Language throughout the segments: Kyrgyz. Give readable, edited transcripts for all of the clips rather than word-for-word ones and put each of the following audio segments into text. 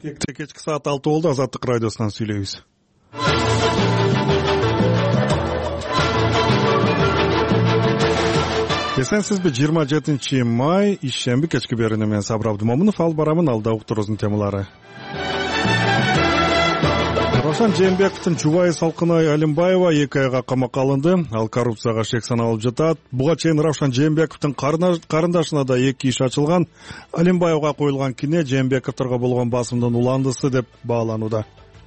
Кечки саат 6 болду. Азаттык радиосунан сүйлөйбүз. Эсенсизби? 27 май ишемби кечки берүүнү мен Сабыр Абдымомунов алып барамын. Алда уктуруубуздун темалары. Равшан Жээнбековдун жубайы Салкынай Алимбаева 2 айга камакка алынды. Ал коррупцияга шек саналып жатат. Буга чейин Равшан Жээнбековдун карындашына да 2 иш ачылган. Алимбаевга коюлган кине Жээнбековдорго болгон басымдын уландысы деп бааланууда.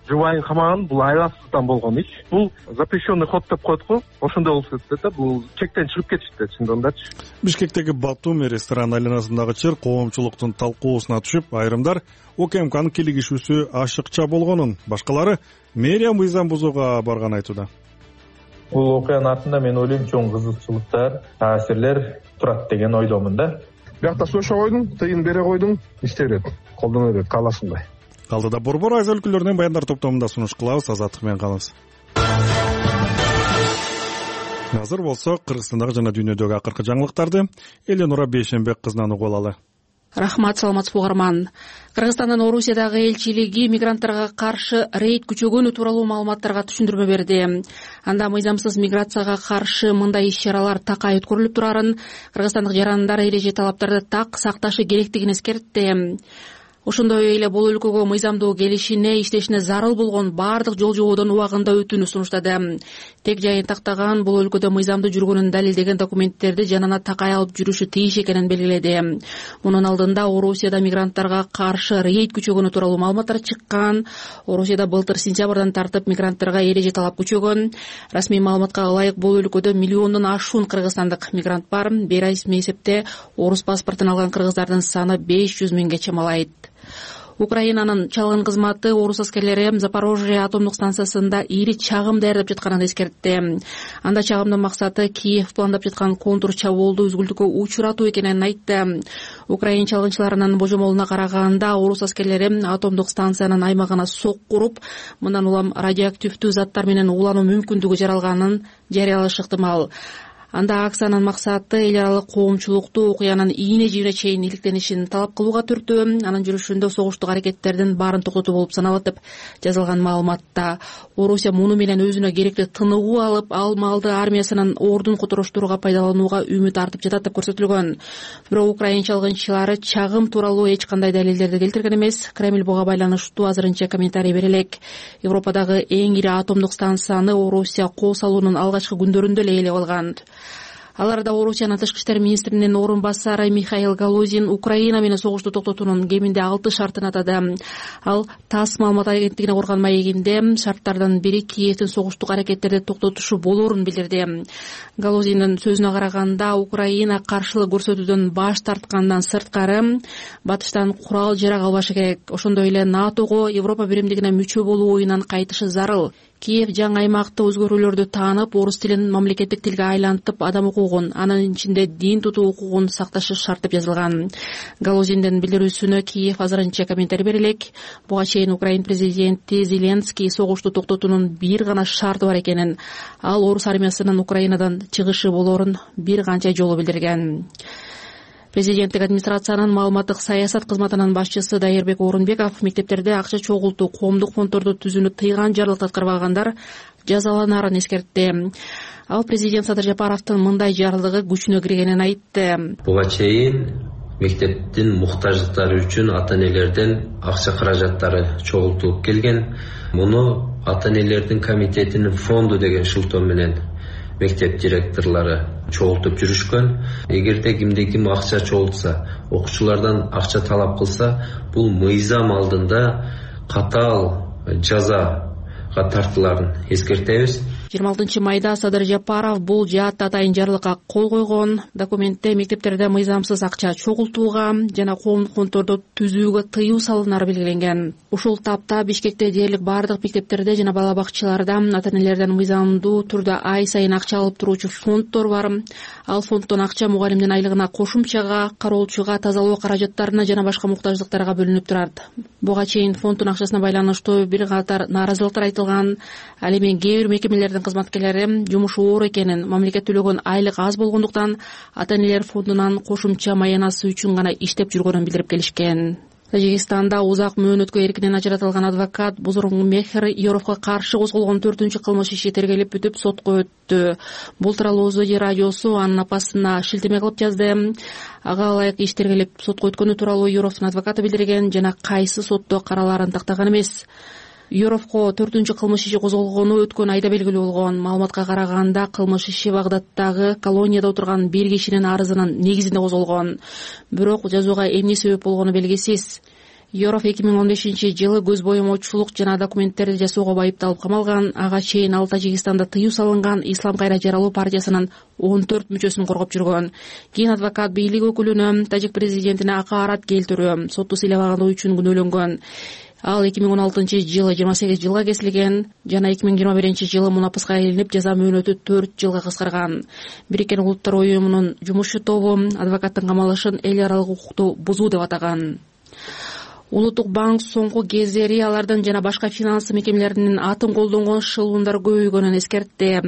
Жубайын камаган бул айласыздан болгон иш. Бул запрещенный ход деп коет го. Ошондой болуп кетти да. Бул чектен чыгып кетишти чындыгындачы. Бишкектеги Батуми ресторан айланасындагы чыр коомчулуктун талкуусуна түшүп, айрымдар УКМКнын кийлигишүүсү ашыкча болгонун, башкалары мэрия мыйзам бузууга барган айтууда. Бул окуянын артында мен ойлойм чоң кызыкчылыктар, таасирлер турат деген ойломун да. Биякта сошо койдуң, тыйын бере койдуң, иште берет, колдоно берет, каалашыңдай. Алдыда борбор айыл өлкөлөрүнүн баяндар топтомунда сунуш кылабыз. Азаттык менен калыңыз. Азыр болсо Кыргызстандагы жана дүйнөдөгү акыркы жаңылыктарды Эленора Бейшенбек кызынан угуп алалы. Рахмат, саламатсызбы угарман. Кыргызстандын Орусиядагы элчилиги мигранттарга каршы рейд күчөгөнү тууралуу маалыматтарга түшүндүрмө берди. Анда мыйзамсыз миграцияга каршы мындай иш-чаралар такай өткөрүлүп турарын, кыргызстандык жарандар эреже талаптарды так сакташы керектигин эскертти. Ошондой эле бул өлкөгө мыйзамдуу келишине, иштешине зарыл болгон баардык жол жободон убагында өтүүнү сунуштады. Тек жайын тактаган бул өлкөдө мыйзамдуу жүргөнүн далилдеген документтерди жанына такай алып жүрүшү тийиш экенин белгиледи. Мунун алдында Орусияда мигранттарга каршы рейд күчөгөнү тууралуу маалыматтар чыккан. Орусияда былтыр сентябрдан тартып мигранттарга эреже талап күчөгөн. Расмий маалыматка ылайык бул өлкөдө миллиондон ашуун кыргызстандык мигрант бар. Бейресми эсепте орус паспортун алган кыргыздардын саны 500 миңге чамалайт. Украинанын чалгын кызматы орус аскерлери Запорожье атомдук станциясында ири чагым даярдап жатканын эскертти. Анда чагымдын максаты Киев пландап жаткан контур чабуулду үзгүлтүккө учуратуу экенин айтты. Украин чалгынчыларынын божомолуна караганда орус аскерлери атомдук станциянын аймагына сокку уруп, мындан улам радиоактивдүү заттар менен уулануу мүмкүндүгү жаралганын жарыялашы ыктымал. Анда акциянын максаты эл аралык коомчулукту окуянын ийне жибине чейин иликтенишин талап кылууга түртүү. Анын жүрүшүндө согуштук аракеттердин баарын токтотуу болуп саналат деп жазылган маалыматта. Орусия муну менен өзүнө керектүү тыныгуу алып, ал малды армиясынын ордун котороштурууга пайдаланууга үмүт артып жатат деп көрсөтүлгөн. Бирок украин чалгынчылары чагым тууралуу эч кандай далилдерди келтирген эмес. Кремль буга байланыштуу азырынча комментарий бере элек. Европадагы эң ири атомдук станцияны Орусия кол салуунун алгачкы күндөрүндө эле ээлеп алган. Аларда Орусиянын тышкы иштер министринин орун басары Михаил Галузин Украина менен согушту токтотуунун кеминде 6 шартын атады. Ал ТАСС маалымат агенттигине курган маегинде шарттардын бири Киевдин согуштук аракеттерди токтотушу болоорун билдирди. Галузиндин сөзүнө караганда, Украина каршылык көрсөтүүдөн баш тарткандан сырткары батыштан курал жарак албашы керек. Ошондой эле НАТОго, Европа биримдигине мүчө болуу оюнан кайтышы зарыл. Киев жаңы аймакта өзгөрүүлөрдү таанып, орус тилин мамлекеттик тилге айлантып, адам укугун, анын ичинде дин тутуу укугун сакташы шарт деп жазылган. Галузиндин билдирүүсүнө Киев азырынча комментарий бере элек. Буга чейин Украин президенти Зеленский согушту токтотуунун бир гана шарты бар экенин, ал орус армиясынын Украинадан чыгышы болоорун бир канча жолу билдирген. Президенттик администрациянын маалыматтык саясат кызматынын башчысы Дайырбек Орунбеков мектептерде акча чогултуу, коомдук фонддорду түзүүнү тыйган жарлыкты аткарбагандар жазаланарын эскертти. Ал президент Садыр Жапаровдун мындай жарлыгы күчүнө киргенин айтты. Буга чейин мектептин муктаждыктары үчүн ата-энелерден акча каражаттары чогултулуп келген. Муну ата-энелердин комитетинин фонду деген шылтоо менен мектеп директорлору чогултуп жүрүшкөн. Эгерде ким акча чогултса, окуучулардан акча талап кылса, бул мыйзам алдында катаал жазага тартыларын эскертебиз. 26 майда Садыр Жапаров бул жаатта атайын жарлыкка кол койгон. Документте мектептерде мыйзамсыз акча чогултууга жана коомдук фонддорду түзүүгө тыюу салынары белгиленген. Ушул тапта Бишкекте дээрлик баардык мектептерде жана бала бакчаларда ата-энелерден мыйзамдуу турда ай сайын акча алып туруучу фонддор бар. Ал фонддон акча мугалимдин айлыгына, кошумчага, кароолчуга, тазалоо каражаттарына жана башка муктаждыктарга бөлүнүп турат. Буга чейин фонддун акчасына байланыштуу бир катар нааразылыктар айтылган. Ал эми кээ бир мекемелердин кызматкерлери жумушу оор экенин, мамлекет төлөгөн айлык аз болгондуктан ата-энелер фондунан кошумча маянасы үчүн гана иштеп жүргөнүн билдирип келишкен. Тажикстанда узак мөөнөткө эркинен ажыратылган адвокат Бузургмехер Йоровго каршы козголгон 4-кылмыш иши тергелип бүтүп сотко өттү. Бул тууралуу Озоди радиосу анын апасына шилтеме кылып жазды. Ага ылайык иш тергелип сотко өткөнү тууралуу Йоровдун адвокаты билдирген жана кайсы сотто каралаарын тактаган эмес. Йоровго 4-кылмыш иши козголгону өткөн айда белгилүү болгон. Маалыматка караганда кылмыш иши Багдадтагы колонияда отурган бир кишинин арызынын негизинде козголгон. Бирок жазууга эмне себеп болгону белгисиз. Йоров 2015-жылы көз боемочулук жана документтерди жасоого байыпталып камалган. Ага чейин ал Тажикстанда тыюу салынган Ислам кайра жаралуу партиясынын 14 мүчөсүн коргоп жүргөн. Кийин адвокат бийлик өкүлүнө, тажик президентине акаарат келтирүү, сотту сыйламагандыгы үчүн күнөөлөнгөн. Ал 2016-жылы 28 жылга кесилген жана 2021-жылы мунапаска илинип жаза мөөнөтү 4 жылга кыскарган. Бириккен Улуттар уюмунун жумушчу тобу адвокаттын камалышын эл аралык укукту бузуу деп атаган. Улуттук банк соңку кездери алардын жана башка финанс мекемелеринин атын колдонгон шылуундар көбөйгөнүн эскертти.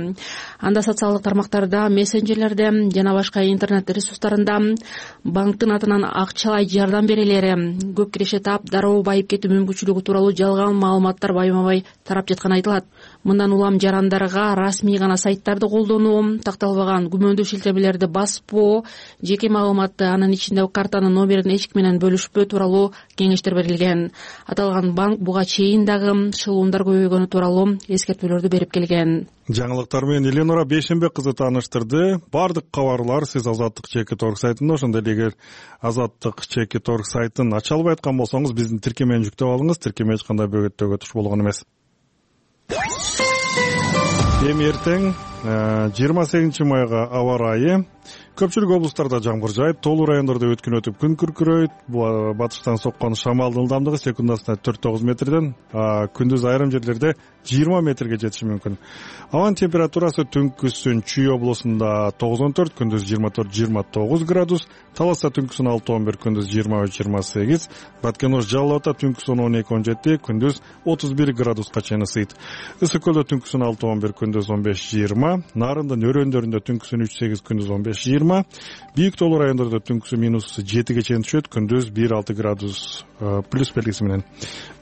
Анда социалдык тармактарда, мессенджерлерде жана башка интернет ресурстарында банктын атынан акчалай жардам берелери, көп киреше таап дароо байып кетүү мүмкүнчүлүгү тууралуу жалган маалыматтар байма-бай тарап жатканы айтылат. Мындан улам жарандарга расмий гана сайттарды колдонуу, такталбаган күмөндүү шилтемелерди баспоо, жеке маалыматты, анын ичинде картанын номерин эч ким менен бөлүшпөө тууралуу кеңештер берилген. Аталган банк буга чейин дагы шылуундар көбөйгөнү тууралуу эскертүүлөрдү берип келген. Жаңылыктар менен Эленора Бейшенбек кызы тааныштырды. Бардык кабарлар сиз Азаттык ЧК.org сайтында, ошондой эле эгер Азаттык ЧК.org сайтын ача албай аткан болсоңуз, биздин тиркемени жүктөп алыңыз. Тиркеме эч кандай бөгөттөөгө туш болгон эмес. Эми эртең 28 майга аба ырайы. Көпчүлүк облустарда жамгыр жаайт, тоолуу райондордо өткүн өтүп күн күркүрөйт. Батыштан соккон шамалдын ылдамдыгы секундасына 4-9 метрден, күндүз айрым жерлерде 20 метрге жетиши мүмкүн. Абанын температурасы түнкүсүн Чүй облусунда 9-14, күндүз 24-29 градус, Таласта түнкүсүн 6-11, күндүз 23-28, Баткен-Ош Жалал Абадта түнкүсүн 12-17, күндүз 31 градуска чейин ысыйт. Ысык көлдө түнкүсүн 6-11, күндүз 15-20, Нарындын өрөөндөрүндө түнкүсүн 3-8, күндүз 15-20, бийик тоолуу райондордо түнкүсүн -7-ге чейин түшөт, күндүз 1-6 градус плюс белгиси менен.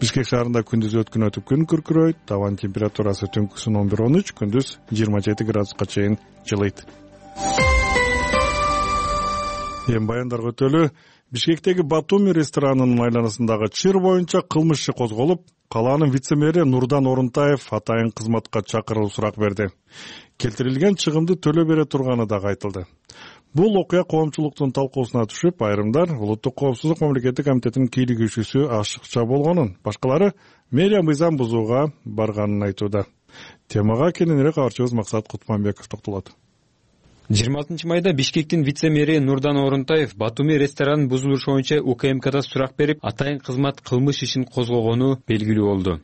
Бишкек шаарында күндүз өткүн өтүп күн күркүрөйт, абанын температурасы түнкүсүн 11-13, күндүз 27 градуска чейин жылыйт. Эми баяндарга өтөлү. Бишкектеги Батуми ресторанынын айланасындагы чыр боюнча кылмыш иши козголуп, калаанын вице-мэри Нурдан Орунтаев атайын кызматка чакырылып сурак берди. Келтирилген чыгымды төлөө бере турганы дагы айтылды. Бул окуя коомчулуктун талкуусуна түшүп, айрымдар Улуттук коопсуздук мамлекеттик комитетинин кийлигүүчүсү ашыкча болгонун, башкалары мэрия мыйзам бузууга барганын айтууда. Темага кененирээк кабарчыбыз Максат Кутманбеков токтолот. 26 майда Бишкектин вице-мэри Нурдан Орунтаев Батуми ресторанын бузулушу боюнча УКМКда сурак берип, атайын кызмат кылмыш ишин козгогону белгилүү болду.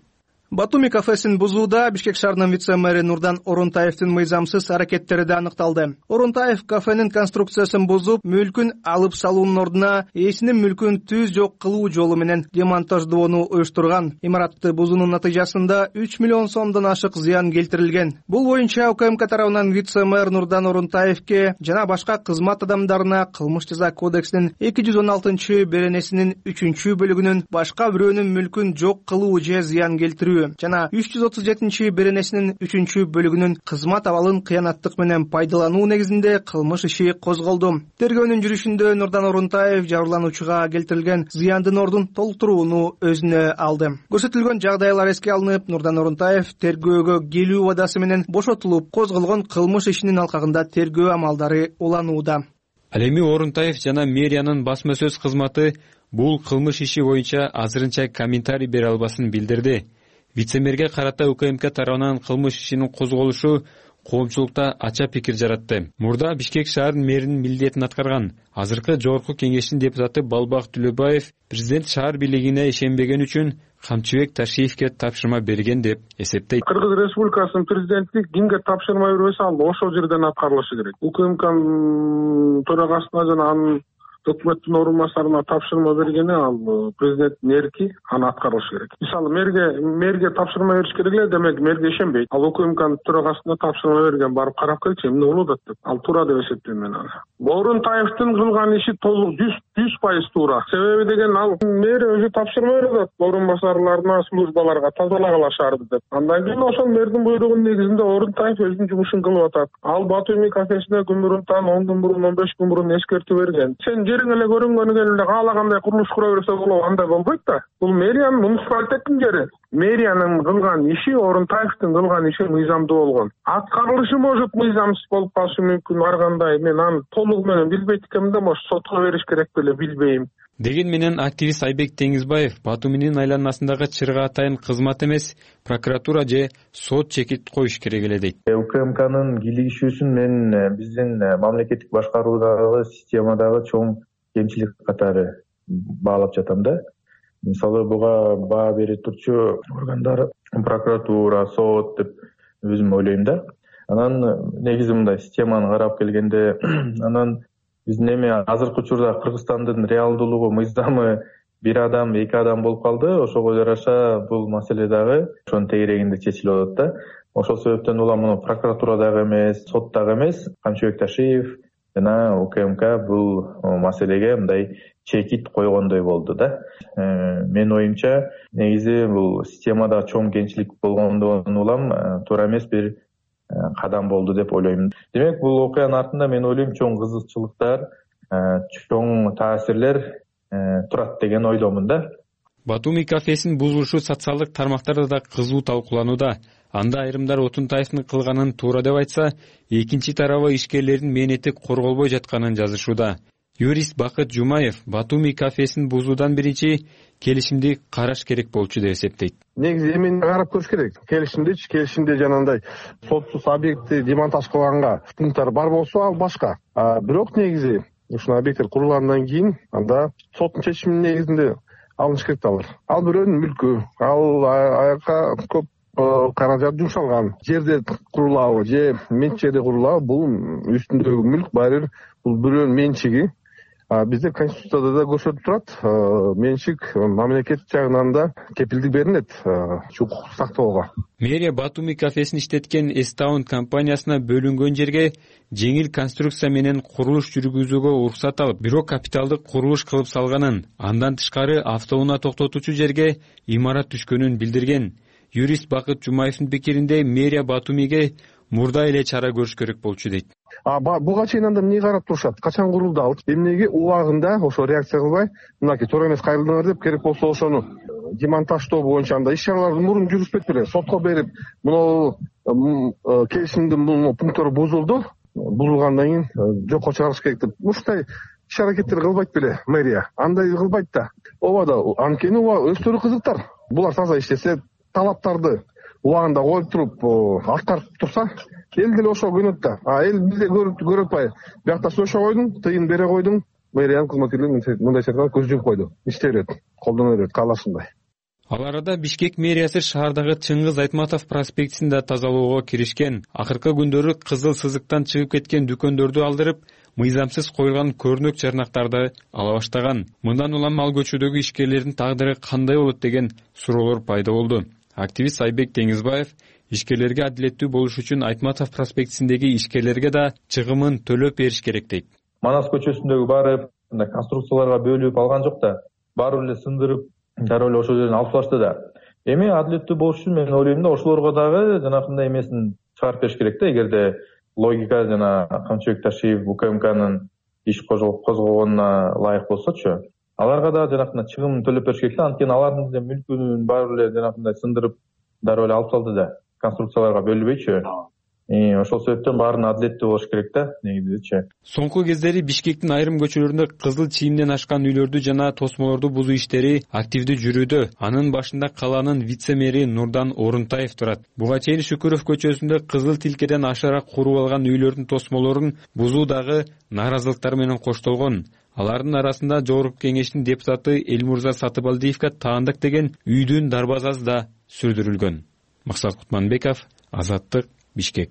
Батуми кафесин бузууда Бишкек шаарынын вице-мэри Нурдан Орунтаевдин мыйзамсыз аракеттери да аныкталды. Орунтаев кафенин конструкциясын бузуп, мүлкүн алып салуунун ордуна ээсинин мүлкүн түз жок кылуу жолу менен демонтаждоону уюштурган. Имаратты бузуунун натыйжасында 3 миллион сомдон ашык зыян келтирилген. Бул боюнча УКМК тарабынан вице-мэр Нурдан Орунтаевке жана башка кызмат адамдарына Кылмыш жаза кодексинин 216-беренесинин 3-бөлүгүнүн башка бирөөнүн мүлкүн жок кылуу же зыян келтирүү жана 337-беренесинин 3-бөлүгүнүн кызмат абалын кыянаттык менен пайдалануу негизинде кылмыш иши козголду. Тергөөнүн жүрүшүндө Нурдан Орунтаев жабырлануучуга келтирилген зыяндын ордун толтурууну өзүнө алды. Көрсөтүлгөн жагдайлар эске алынып, Нурдан Орунтаев тергөөгө келүү убадасы менен бошотулуп, козголгон кылмыш ишинин алкагында тергөө амалдары уланууда. Ал эми Орунтаев жана мэриянын басма сөз кызматы бул кылмыш иши боюнча азырынча комментарий бере албасын билдирди. Вице-мэрге карата УКМК тарабынан кылмыш ишинин козголушу коомчулукта ача пикир жаратты. Мурда Бишкек шаарынын мэринин милдетин аткарган азыркы жогорку кеңештин депутаты Балбак Түлөбаев президент шаар бийлигине ишенбеген үчүн Камчыбек Ташиевке тапшырма берген деп эсептейт. Кыргыз Республикасынын президенти кимге тапшырма бербесе, ал ошол жерден аткарылышы керек. УКМКнын төрагасына жана анын өкмөттүн орун басарына тапшырма бергени ал президенттин эрки, аны аткарыш керек. Мисалы мэрге тапшырма бериш керек эле, демек мэрге ишенбейт. Ал УКМКнын төрагасына тапшырма берген, барып карап келчи, эмне болуп атат деп. Ал туура деп эсептейм мен аны. Орунтаевдин кылган иши толук 100% туура. Себеби деген ал мэр өзү тапшырма берет орун басарларына, службаларга тазалагыла шаарды деп. Андан кийин ошол мэрдин буйругунун негизинде Орунтаев өзүнүн жумушун кылып атат. Ал Батуми кафесине күн мурунтан 10 күн мурун, 15 күн мурун эскертүү берген. Сен жериң эле көрүнгөнү эле каалагандай курулуш кура берсе болот, андай болбойт да. Бул мэриянын муниципалитеттин жери. Мэриянын кылган иши, Орунтаевдин кылган иши мыйзамдуу болгон. Аткарылышы может мыйзамсыз болуп калышы мүмкүн, ар кандай. Мен аны толугу менен билбейт экенмин да, может сотко бериш керек беле, билбейм. Деген менен активист Айбек Теңизбаев Батуминин айланасындагы чырга атайын кызмат эмес, прокуратура же сот чекит коюш керек эле дейт. УКМКнын кийлигишүүсүн мен биздин мамлекеттик башкаруудагы системадагы чоң кемчилик катары баалап жатам да. Мисалы буга баа бере турчу органдар прокуратура, сот деп өзүм ойлойм да. Анан негизи мындай системаны карап келгенде, анан биздин эми азыркы учурда Кыргызстандын реалдуулугу, мыйзамы бир адам, эки адам болуп калды. Ошого жараша бул маселе дагы ошонун тегерегинде чечилип атат да. Ошол себептен улам муну прокуратура дагы эмес, сот дагы эмес, Камчыбек Ташиев жана УКМК бул маселеге мындай чекит койгондой болду да. Менин оюмча, негизи бул системада чоң кемчилик болгондон улам туура эмес бир кадам болду деп ойлойм. Демек, бул окуянын артында мен ойлойм чоң кызыкчылыктар, чоң таасирлер турат деген ойдомун да. Батуми кафесин бузулушу социалдык тармактарда да кызуу талкууланууда. Анда айрымдар Отунтаевдин кылганын туура деп айтса, экинчи тарабы ишкерлердин мээнети корголбой жатканын жазышууда. Юрист Бакыт Жумаев Батуми кафесин бузуудан биринчи келишимди караш керек болчу деп эсептейт. Негизи эмени карап көрүш керек. Келишимде жанагындай сотсуз объектти демонтаж кылганга пункттар бар болсо, ал башка. Бирок негизи ушул объекттер курулгандан кийин анда соттун чечиминин негизинде алыныш керек да алар. Ал бирөөнүн мүлкү, ал аяка көп каражат жумшалган жерде курулабы же менчикте курулабы, бул үстүндөгү мүлк баары бул бирөөнүн менчиги. Бизде Конституцияда да көрсөтүлүп турат, менчик мамлекет жагынан да кепилдик берилет укукту сактоого. Мэрия Батуми кафесин иштеткен Эстаун компаниясына бөлүнгөн жерге жеңил конструкция менен курулуш жүргүзүүгө уруксат алып, бирок капиталдык курулуш кылып салганын, андан тышкары автоунаа токтотуучу жерге имарат түшкөнүн билдирген. Юрист Бакыт Жумаевдин пикиринде мэрия Батумиге мурда эле чара көрүш керек болчу дейт. Буга чейин анда эмне карап турушат? Качан курулду ал? Эмнеге убагында ошо реакция кылбай, мынакей туура эмес кайрылдыңар деп, керек болсо ошону демонтаждоо боюнча анда иш-чараларды мурун жүргүзбөйт беле, сотко берип, мына келишимдин пункттары бузулду, бузулгандан кийин жокко чыгарыш керек деп, ушундай иш-аракеттер кылбайт беле мэрия? Андай кылбайт да. Ооба да, анткени өздөрү кызыктар. Булар таза иштесе, талаптарды убагында коюп туруп, аткарып турса, эл деле ошого көнөт да. Эл бизде көрүп атпайбы? Биякта сөйшө койдуң, тыйын бере койдуң, мэриянын кызматкерлери мындай сертка көз жумуп койду. Иштей берет, колдоно берет, каалашындай. Ал арада Бишкек мэриясы шаардагы Чыңгыз Айтматов проспектин да тазалоого киришкен. Акыркы күндөрү кызыл сызыктан чыгып кеткен дүкөндөрдү алдырып, мыйзамсыз коюлган көрнөк чарнактарды ала баштаган. Мындан улам ал көчөдөгү ишкерлердин тагдыры кандай болот деген суроолор пайда болду. Активист Айбек Теңизбаев ишкерлерге адилеттүү болуш үчүн Айтматов проспектисиндеги ишкерлерге да чыгымын төлөп бериш керек дейт. Манас көчөсүндөгү баары конструкцияларга бөлүп алган жок да, баары эле сындырып, дароо эле ошол жерден алып салышты да. Эми адилеттүү болуш үчүн мен ойлойм да, ошолорго дагы жанагындай эмесин чыгарып бериш керек да, эгерде логика жана Камчыбек Ташиев УКМКнын иш козгогонуна ылайык болсочу, аларга да жанагындай чыгымын төлөп бериш керек да. Анткени алардын мүлкүн баары эле жанагындай сындырып, дароо эле алып салды да, конструкцияларга бөлүнбөйчү. Ошол себептен баарын адилеттүү болуш керек да, негизичи. Соңку кездери Бишкектин айрым көчөлөрүндө кызыл чийимден ашкан үйлөрдү жана тосмолорду бузуу иштери активдүү жүрүүдө. Анын башында калаанын вице-мэри Нурдан Орунтаев турат. Буга чейин Шүкүров көчөсүндө кызыл тилкеден ашараак куруп алган үйлөрдүн тосмолорун бузуу дагы нааразылыктар менен коштолгон. Алардын арасында Жогорку Кеңештин депутаты Элмурза Сатыбалдиевге таандык деген үйдүн дарбазасы да сүрдүрүлгөн. Максат Кутманбеков, Азаттык, Бишкек.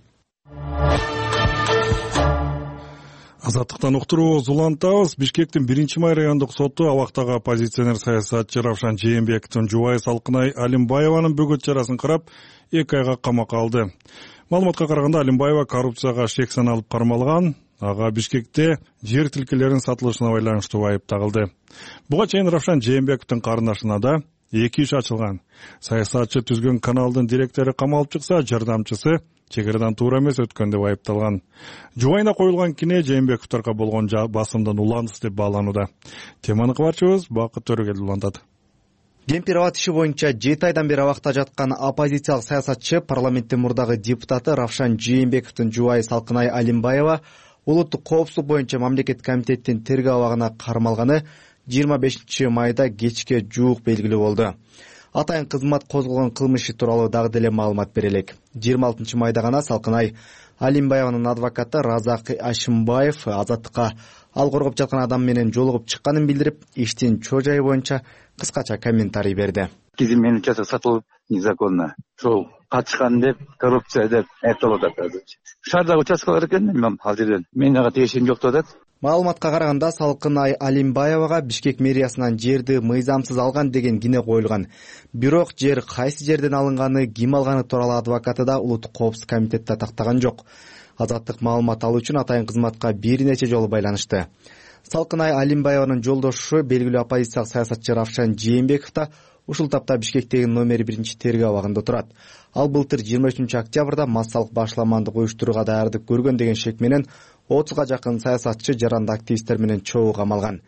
Азаттыктан уктурубуз улантабыз. Бишкектин 1-май райондук соту абактагы оппозиционер саясатчы Равшан Жээнбековдун жубайы Салкынай Алимбаеванын бөгөт чарасын карап 2 айга камакка алды. Маалыматка караганда Алимбаева коррупцияга шек саналып кармалган. ага Бишкекте жер тилкелеринин сатылышына байланыштуу айып тагылды. Буга чейин Равшан Жээнбековдун карындашына да 2 иш ачылган. Саясатчы түзгөн каналдын директору камалып чыкса, жардамчысы чек арадан туура эмес өткөн деп айыпталган. Жубайына коюлган кине Жээнбековдорго болгон басымдын уландысы деп бааланууда. Теманы кабарчыбыз Бакыт Төрөгел улантат. Кемпир-абад иши боюнча 7 айдан бери абакта жаткан оппозициялык саясатчы, парламенттин мурдагы депутаты Равшан Жээнбековдун жубайы Салкынай Алимбаева улуттук коопсуздук боюнча мамлекеттик комитеттин тергөө абагына кармалганы 25 майда кечке жуук белгилүү болду. Атайын кызмат козголгон кылмыш тууралуу дагы деле маалымат берелик. 26 майда гана Салкынай Алимбаеванын адвокаты Разак Ашимбаев Азаттыкка ал коргоп жаткан адам менен жолугуп чыкканын билдирип, иштин чоо жайы боюнча кыскача комментарий берди. Кизим менин участок сатылып незаконно. Ошол качкан деп, коррупция деп айтылып атат. Шаардагы участкалар экен, ал жерден менин ага тиешим жок деп атат. Маалыматка караганда Салкынай Алимбаевага Бишкек мэриясынан жерди мыйзамсыз алган деген кине коюлган. Бирок жер кайсы жерден алынганы, ким алганы тууралуу адвокаты да улуттук коопсуздук комитетте тактаган жок. Азаттык маалымат алуу үчүн атайын кызматка бир нече жолу байланышты. Салкынай Алимбаеванын жолдошу белгилүү оппозициялык саясатчы Равшан Жээнбеков да ушул тапта Бишкектеги номер 1 тергөө абагында турат. Ал былтыр 23 октябрда массалык башламандык уюштурууга даярдык көргөн деген шек менен 30га жакын саясатчы, жаранды активисттер менен чогуу камалган.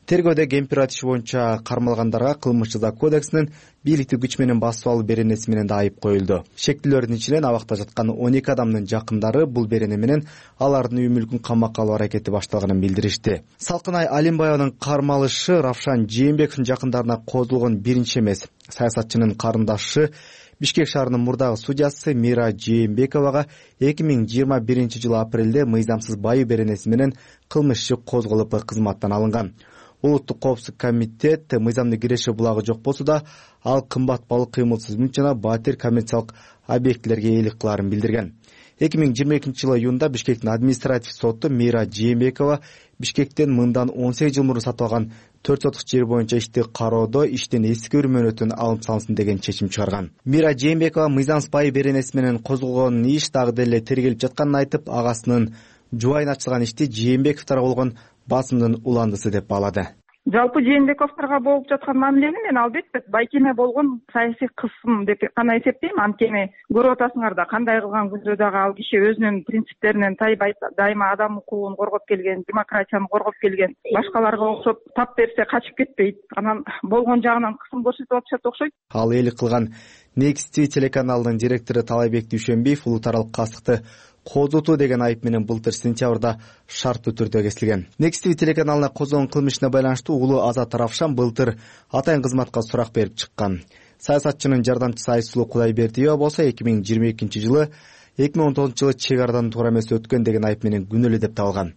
Тергөөдө кемпир-абад иши боюнча кармалгандарга кылмыш жаза кодексинин бийликти күч менен басып алуу беренеси менен да айып коюлду. Шектүүлөрдүн ичинен абакта жаткан 12 адамдын жакындары бул берене менен алардын үй мүлкүн камакка алуу аракети башталганын билдиришти. Салкынай Алимбаеванын кармалышы Равшан Жээнбековдун жакындарына козулгон биринчи эмес. Саясатчынын карындашы Бишкек шаарынын мурдагы судьясы Мира Жээнбековага 2021 жылы апрелде мыйзамсыз байуу беренеси менен кылмыш иши козголуп кызматтан алынган. Улуттук коопсуздук комитет мыйзамдык киреши булагы жок болсо да, ал кымбат балык, кыймылсыз мүлк жана батир коммерциялык объектилерге ээлик кылаарын билдирген. 2022 жылы июнда Бишкектин административ соту Мира Жээнбекова Бишкектен мындан 18 жыл мурун сатып алган 4 сотук жер боюнча ишти кароодо иштен эскерүү мөөнөтүн алып салынсын деген чечим чыгарган. Мира Жээнбекова мыйзамсыз байуу беренеси менен козголгон иш дагы деле тергелип жатканын айтып, агасынын жубайына ачылган ишти Жээнбековдорго болгон басымдын уландысы деп баалады. Жалпы Жээнбековдорго болуп жаткан мамилени мен албетте байкеме болгон саясий кысым деп гана эсептейм. Анткени көрүп атасыңар да, кандай кылган күндө дагы ал киши өзүнүн принциптеринен тайбайт, дайыма адам укугун коргоп келген, демократияны коргоп келген, башкаларга окшоп тап берсе качып кетпейт. Анан болгон жагынан кысым көрсөтүп атышат окшойт. Ал ээлик кылган Next TV телеканалынын директору Талайбек Дүйшөнбиев улуттаралык кастыкты козутуу деген айып менен былтыр сентябрда шарттуу түрдө кесилген. Next TV телеканалына козголгон кылмышына байланыштуу улуу Азат Равшан былтыр атайын кызматка сурак берип чыккан. Саясатчынын жардамчысы Айсулуу Кудайбердиева болсо 2022 жылы 2019 жылы чек арадан туура эмес өткөн деген айып менен күнөөлүү деп табылган.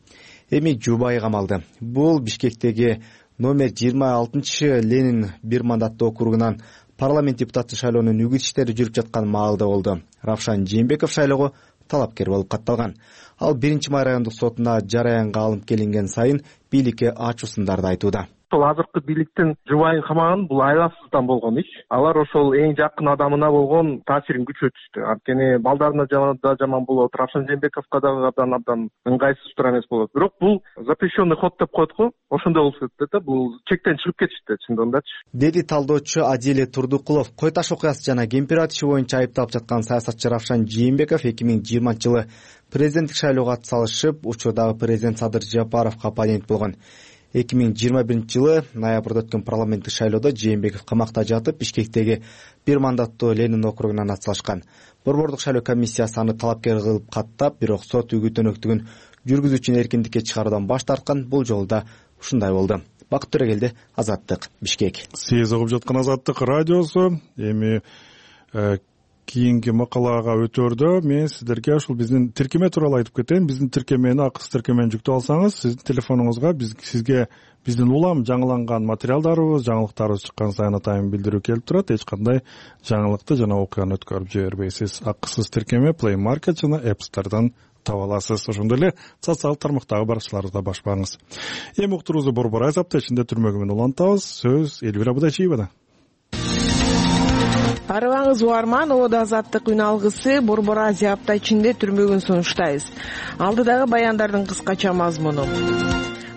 Эми жубайы камалды. Бул Бишкектеги номер 26 Ленин бир мандаттуу округунан парламент депутаты шайлоонун үгүт иштери жүрүп жаткан маалда болду. Равшан Жээнбеков шайлоого талапкер болуп катталган. Ал 1-май райондук сотуна жараянга алынып келинген сайын бийликке ачуу сындарды айтууда. Ошол азыркы бийликтин жубайын камаган бул айласыздан болгон иш. Алар ошол эң жакын адамына болгон таасирин күчөтүштү. Анткени балдарына да жаман болот, Равшан Жээнбековго дагы абдан ыңгайсыз туура эмес болот. Бирок бул запрещенный ход деп коет го. Ошондой болуп кетти да, бул чектен чыгып кетишти чындыгындачы. Деди талдоочу Адиле Турдукулов. Кой таш окуясы жана кемпир-абад иши боюнча айыпталып жаткан саясатчы Равшан Жээнбеков 2020 жылы президенттик шайлоого атсалышып, учурдагы президент Садыр Жапаровго оппонент болгон. 2021 жылы ноябрда өткөн парламенттик шайлоодо Жээнбеков камакта жатып, Бишкектеги бир мандаттуу Ленин округунан атсалышкан. Борбордук шайлоо комиссиясы аны талапкер кылып каттап, бирок сот үгүт өнөктүгүн жүргүзүүчүнү эркиндикке чыгаруудан баш тарткан. Бул жолу да ушундай болду. Бакыт Төрөгелди, Азаттык, Бишкек. Сиз угуп жаткан Азаттык радиосу. Эми кийинки макалага өтөрдө мен сиздерге ушул биздин тиркеме тууралуу айтып кетейин. Биздин тиркемени, акысыз тиркемени жүктөп алсаңыз, сиздин телефонуңузга сизге биздин улам жаңыланган материалдарыбыз, жаңылыктарыбыз чыккан сайын атайын билдирүү келип турат. Эч кандай жаңылыкты жана окуяны өткөрүп жибербейсиз. Акысыз тиркеме Play Market жана App Store'дан таба аласыз. Ошондой эле социалдык тармактагы барышчыларыбызда башпаңыз. Эми уктуруубузду Борбор Айсапта ичинде түрмөгү менен улантабыз. Сөз Элвира Будачиевада. Арыбаңыз угарман, Ободо Азаттык үн алгысы Борбор Азия апта ичинде түрмөгүн сунуштайбыз. Алдыдагы баяндардын кыскача мазмуну.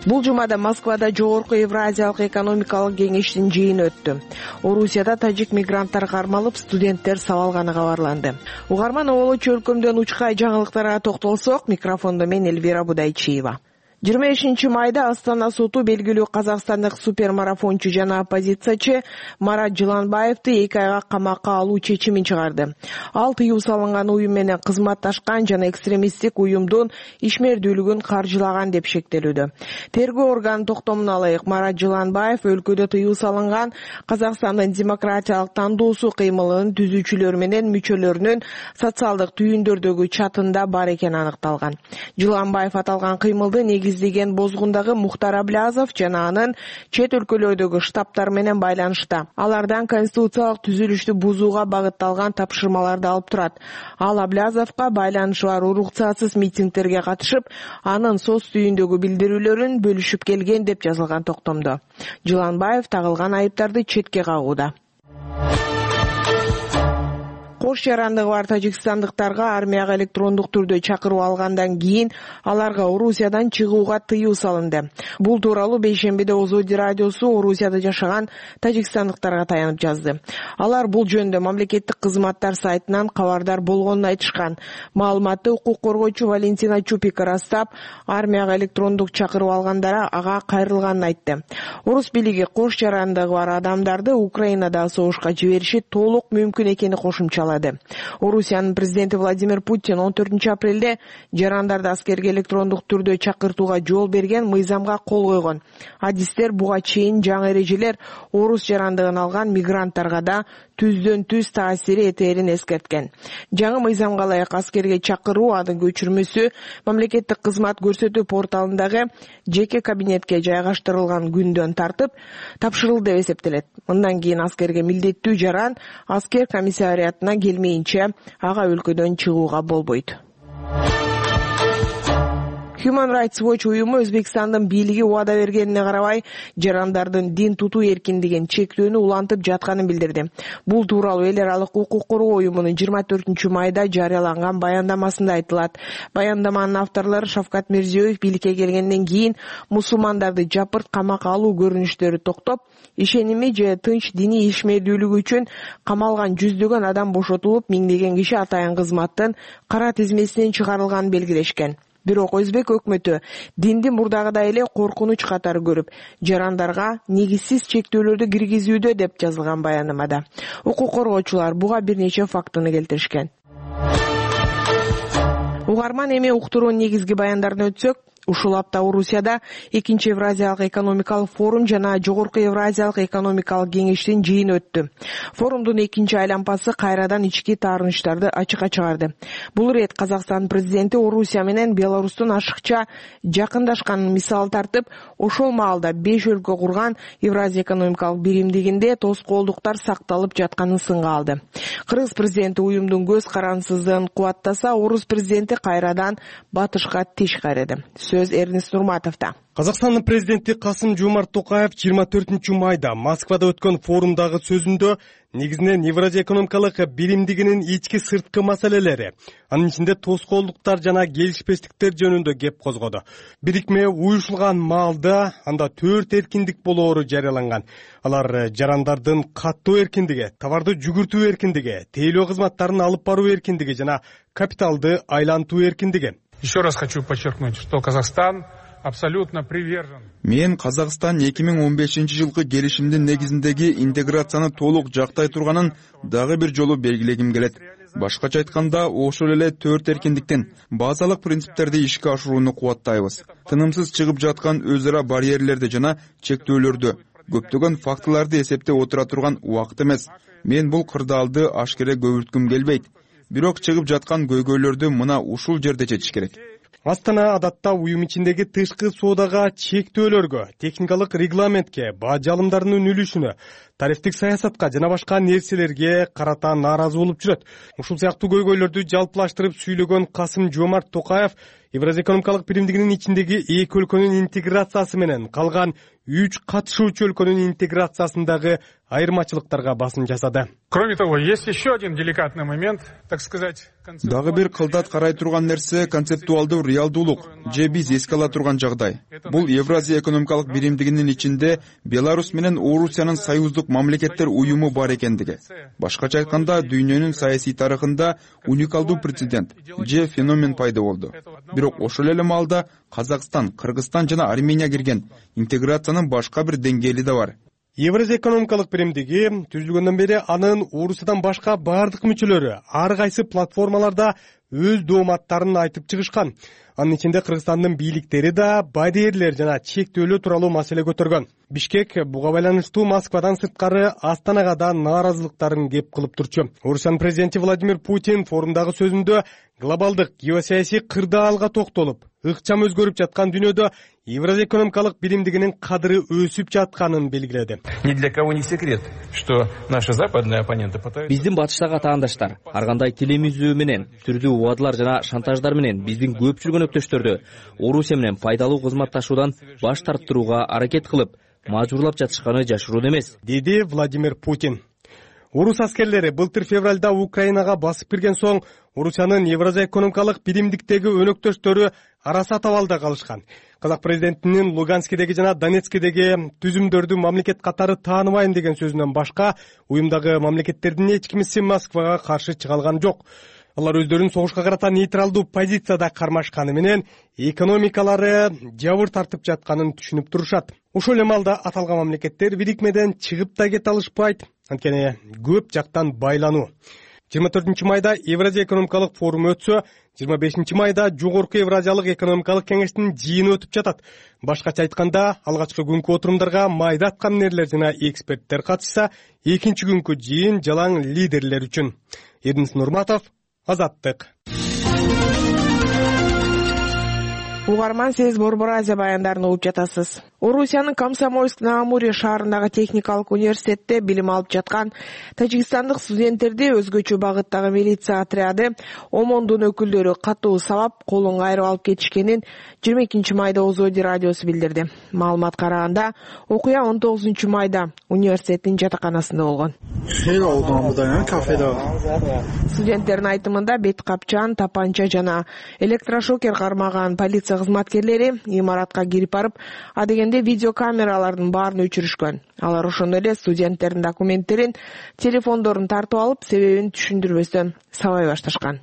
Бул жумада Москвада жогорку Евразиялык экономикалык кеңештин жыйыны өттү. Орусияда тажик мигранттар кармалып, студенттер сабалганы кабарланды. Угарман, оболочу өлкөмдөн учкай жаңылыктарга токтолсок, микрофондо мен Элвира Будайчиева. 25 майда Астана соту белгилүү казакстандык супермарафончу жана оппозициячы Марат Жыланбаевди 2 айга камакка алуу чечимин чыгарды. Ал тыюу салынган уюм менен кызматташкан жана экстремисттик уюмдун ишмердүүлүгүн каржылаган деп шектелүүдө. Тергөө органынын токтомуна ылайык, Марат Жыланбаев өлкөдө тыюу салынган Казакстандын демократиялык тандоосу кыймылынын түзүүчүлөрү менен мүчөлөрүнүн социалдык түйүндөрдөгү чатында бар экени аныкталган. Жыланбаев аталган кыймылды негиздеген Бозгундагы Мухтар Аблязов жана анын чет өлкөлөрдөгү штабтар менен байланышта. Алардан конституциялык түзүлүштү бузууга багытталган тапшырмаларды алып турат. Ал Аблязовго байланышы бар уруксатсыз митингдерге катышып, анын соц түйүндөгү билдирүүлөрүн бөлүшүп келген деп жазылган токтомдо. Жыланбаев тагылган айыптарды четке кагууда. Кош жарандыгы бар тажикстандыктарга армияга электрондук түрдө чакыруу алгандан кийин аларга Орусиядан чыгууга тыюу салынды. Бул тууралуу бейшембиде Озоди радиосу Орусияда жашаган тажикстандыктарга таянып жазды. Алар бул жөнүндө мамлекеттик кызматтар сайтынан кабардар болгонун айтышкан. Маалыматты укук коргоочу Валентина Чупика ырастап, армияга электрондук чакыруу алгандара ага кайрылганын айтты. Орус бийлиги кош жарандыгы бар адамдарды Украинада согушка жибериши толук мүмкүн экени кошумчалады. Орусиянын президенти Владимир Путин 14 апрелде жарандарды аскерге электрондук түрдө чакыртууга жол берген мыйзамга кол койгон. Адистер буга чейин жаңы эрежелер орус жарандыгын алган мигранттарга да түздөн түз таасири этерин эскерткен. Жаңы мыйзамга ылайык аскерге чакыруу анын көчүрмөсү мамлекеттик кызмат көрсөтүү порталындагы жеке кабинетке жайгаштырылган күндөн тартып тапшырылды деп эсептелет. Мындан кийин аскерге милдеттүү жаран аскер комиссариатына келмейинче ага өлкөдөн чыгууга болбойт. Human Rights Watch уюму Өзбекстандын бийлиги убада бергенине карабай, жарандардын дин тутуу эркиндигин чектөөнү улантып жатканын билдирди. Бул тууралуу эл аралык укук коргоо уюмунун 24 майда жарыяланган баяндамасында айтылат. Баяндаманын авторлору Шавкат Мирзиёев бийликке келгенден кийин мусулмандарды жапырт камакка алуу көрүнүштөрү токтоп, ишеними же тынч диний ишмердүүлүгү үчүн камалган жүздөгөн адам бошотулуп, миңдеген киши атайын кызматтын кара тизмесинен чыгарылганын белгилешкен. Бирок Өзбек өкмөтү динди мурдагыдай эле коркунуч катары көрүп, жарандарга негизсиз чектөөлөрдү киргизүүдө деп жазылган баяндамада. Укук коргоочулар буга бир нече фактыны келтиришкен. Угарман, эми уктуруунун негизги баяндарына өтсөк, ушул апта Орусияда 2 Евразиялык экономикалык форум жана жогорку Евразиялык экономикалык кеңештин жыйыны өттү. Форумдун 2 айланпасы кайрадан ички таарынычтарды ачыкка чыгарды. Бул ирет Казакстан президенти Орусия менен Беларустун ашыкча жакындашканын мисал тартып, ошол маалда 5 өлкө курган Евразия экономикалык биримдигинде тоскоолдуктар сакталып жатканын сынга алды. Кыргыз президенти уюмдун көз карансыздыгын кубаттаса, орус президенти кайрадан батышка тиш кайрады. Сөз Эрнест Нурматовдо. Казакстандын президенти Касым-Жомарт Токаев 24 майда Москвада өткөн форумдагы сөзүндө негизинен Евразия экономикалык биримдигинин ички сырткы маселелери, анын ичинде тоскоолдуктар жана келишпестиктер жөнүндө кеп козгоду. Бирикме уюшулган маалда анда 4 эркиндик болоору жарыяланган. Алар жарандардын каттоо эркиндиги, товарды жүгүртүү эркиндиги, тейлөө кызматтарын алып баруу эркиндиги жана капиталды айлантуу эркиндиги. Еще раз хочу подчеркнуть, что Казахстан абсолютно привержен. Мен Казакстан 2015-жылкы келишимдин негизиндеги интеграцияны толук жактай турганын дагы бир жолу белгилегим келет. Башкача айтканда, ошол эле 4 эркиндиктин базалык принциптерди ишке ашырууну кубаттайбыз. Тынымсыз чыгып жаткан өз ара барьерлерди жана чектөөлөрдү, көптөгөн фактыларды эсептеп отура турган убакыт эмес. Мен бул кырдаалды ашкере көбүрткүм келбейт. Бирок чыгып жаткан көйгөйлөрдү мына ушул жерде чечиш керек. Астана адатта уюм ичиндеги тышкы соодага чектөөлөргө, техникалык регламентке, баа жалымдарынын үлүшүнө, тарифтик саясатка жана башка нерселерге карата нааразы болуп жүрөт. Ушул сыяктуу көйгөйлөрдү жалпылаштырып сүйлөгөн Касым-Жомарт Токаев Евразия экономикалык биримдигинин ичиндеги 2 өлкөнүн интеграциясы менен калган 3 катышуучу өлкөнүн интеграциясындагы айырмачылыктарга басым жасады. Кроме того, есть еще один деликатный момент, так сказать. Дагы бир кылдат карай турган нерсе концептуалдуу реалдуулук же биз эске ала турган жагдай. Бул Евразия экономикалык биримдигинин ичинде Беларусь менен Орусиянын союздук мамлекеттер уюму бар экендиги. Башкача айтканда, дүйнөнүн саясий тарыхында уникалдуу прецедент же феномен пайда болду. Бирок ошол эле маалда Казакстан, Кыргызстан жана Армения кирген интеграциянын башка бир деңгээли да бар. Евразия экономикалык биримдиги түзүлгөндөн бери анын Орусиядан башка бардык мүчөлөрү ар кайсы платформаларда өз дооматтарын айтып чыгышкан. Анын ичинде Кыргызстандын бийликтери да барьерлер жана чектөөлөр тууралуу маселе көтөргөн. Бишкек буга байланыштуу Москвадан сырткары Астанага да нааразылыктарын кеп кылып турчу. Орусиянын президенти Владимир Путин форумдагы сөзүндө глобалдык геосаясий кырдаалга токтолуп, ыкчам өзгөрүп жаткан дүйнөдө Евразия экономикалык биримдигинин кадыры өсүп жатканын белгиледи. Ни для кого не секрет, что наши западные оппоненты пытаются... Биздин батыштагы атаандаштар ар кандай тилемизүү менен, түрдүү убадалар жана шантаждар менен биздин көп жүргөн өктөштөрдү Орусия менен пайдалуу кызматташуудан баш тарттырууга аракет кылып, мажбурлап жатышканы жашыруун эмес, деди Владимир Путин. Орус аскерлери былтыр февралда Украинага басып кирген соң Орусиянын Евразия экономикалык биримдиктеги өнөктөштөрү араса табалда калышкан. Казак президентинин Луганскидеги жана Донецкидеги түзүмдөрдү мамлекет катары тааныбайм деген сөзүнөн башка уюмдагы мамлекеттердин эч кимиси Москвага каршы чыга алган жок. Алар өздөрүн согушка карата нейтралдуу позицияда кармашканы менен экономикалары жабыр тартып жатканын түшүнүп турушат. Ошол эле маалда аталган мамлекеттер бирикмеден чыгып да кете алышпайт, анткени көп жактан байлануу. 24 майда Евразия экономикалык форуму өтсө, 25 майда Жогорку Евразиялык экономикалык кеңештин жыйыны өтүп жатат. Башкача айтканда, алгачкы күнкү отурумдарга майда аткамнерлер жана эксперттер катышса, экинчи күнкү жыйын жалаң лидерлер үчүн. Эрдинис Нурматов, Азаттык. Угарман, сиз Борбор Азия баяндарын угуп жатасыз. Орусиянын Комсомольск-на-Амуре шаарындагы техникалык университетте билим алып жаткан тажикстандык студенттерди өзгөчө багыттагы милиция отряды ОМОНдун өкүлдөрү катуу сабап, колун кайрып алып кетишкенин 22 майда Озоди радиосу билдирди. Маалымат караганда, окуя 19 майда университеттин жатаканасында болгон. Студенттердин айтымында бет капчан, тапанча жана электрошокер кармаган полиция кызматкерлери имаратка кирип барып, адегенде видеокамералардын баарын өчүрүшкөн. Алар ошондой эле студенттердин документтерин, телефондорун тартып алып, себебин түшүндүрбөстөн сабай башташкан.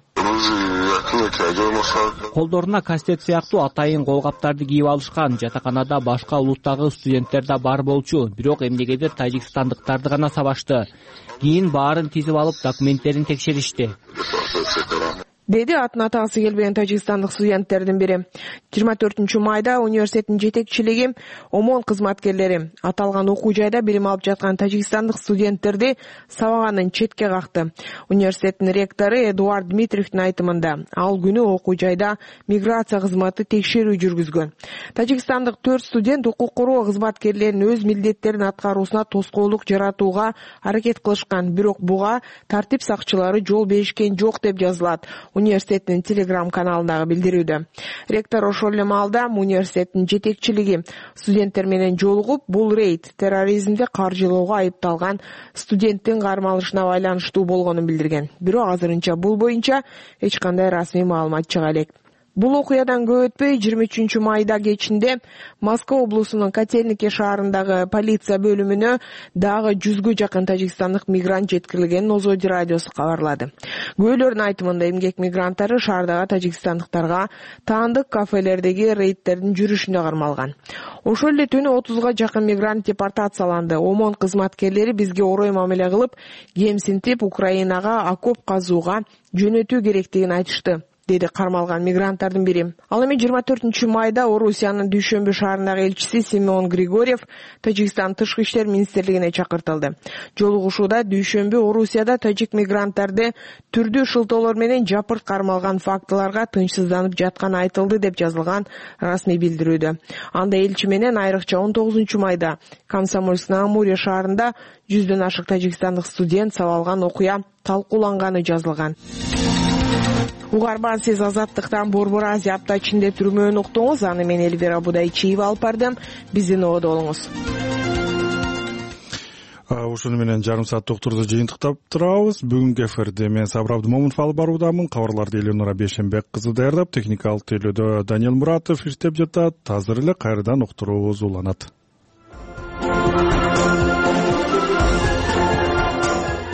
Колдоруна кастет сыяктуу атайын колгаптарды кийип алышкан. Жатаканада башка улуттагы студенттер да бар болчу, бирок эмнегедир тажикстандыктарды гана сабашты. Кийин баарын тизип алып, документтерин текшеришти, деди атын атагысы келбеген тажикстандык студенттердин бири. 24 майда университеттин жетекчилиги ОМОН кызматкерлери аталган окуу жайда билим алып жаткан тажикстандык студенттерди сабаганын четке какты. Университеттин ректору Эдуард Дмитриевдин айтымында, ал күнү окуу жайда миграция кызматы текшерүү жүргүзгөн. Тажикстандык 4 студент укук коргоо кызматкерлеринин өз милдеттерин аткаруусуна тоскоолдук жаратууга аракет кылышкан, бирок буга тартип сакчылары жол беришкен жок деп жазылат университеттин телеграм-каналындагы билдирүүдө. Ректор ошол эле маалда университеттин жетекчилиги студенттер менен жолугуп, бул рейд терроризмди каржылоого айыпталган студенттин кармалышына байланыштуу болгонун билдирген. Бирок азырынча бул боюнча эч кандай расмий маалымат чыга элек. Бул окуядан көп өтпөй 23 майда кечинде Москва облусунун Котельники шаарындагы полиция бөлүмүнө дагы 100гө жакын тажикстандык мигрант жеткирилгенин Озоди радиосу кабарлады. Күбөлөрдүн айтымында эмгек мигранттары шаардагы тажикстандыктарга таандык кафелердеги рейдтердин жүрүшүндө кармалган. Ошол эле түнү 30га жакын мигрант депортацияланды. ОМОН кызматкерлери бизге орой мамиле кылып, кемсинтип Украинага окоп казууга жөнөтүү керектигин айтышты, деди кармалган мигранттардын бири. Ал эми 24 майда Орусиянын Дүйшөмбү шаарындагы элчиси Семен Григорьев Тажикстан тышкы иштер министрлигине чакыртылды. Жолугушууда Дүйшөмбү Орусияда тажик мигранттарды түрдүү шылтоолор менен жапырт кармалган фактыларга тынчсызданып жатканы айтылды деп жазылган расмий билдирүүдө. Анда элчи менен айрыкча 19 майда Комсомольск-на-Амуре шаарында 100дөн ашык тажикстандык студент сабалган окуя талкууланганы жазылган. Угарман, сиз Азаттыктан Борбор Азия апта ичинде түрмөөнү уктуңуз. Аны мен Эльвира Будайчиева алып бардым. Биздин ободо болуңуз. ушуну менен жарым сааттык уктурду жыйынтыктап турабыз. Бүгүнкү эфирде мен Сабыр Абдымомунов алып баруудамын. Кабарларды Эленора Бейшенбек кызы даярдап, техникалык тейлөөдө Даниэл Муратов иштеп жатат. Азыр эле кайрадан уктуруубуз уланат.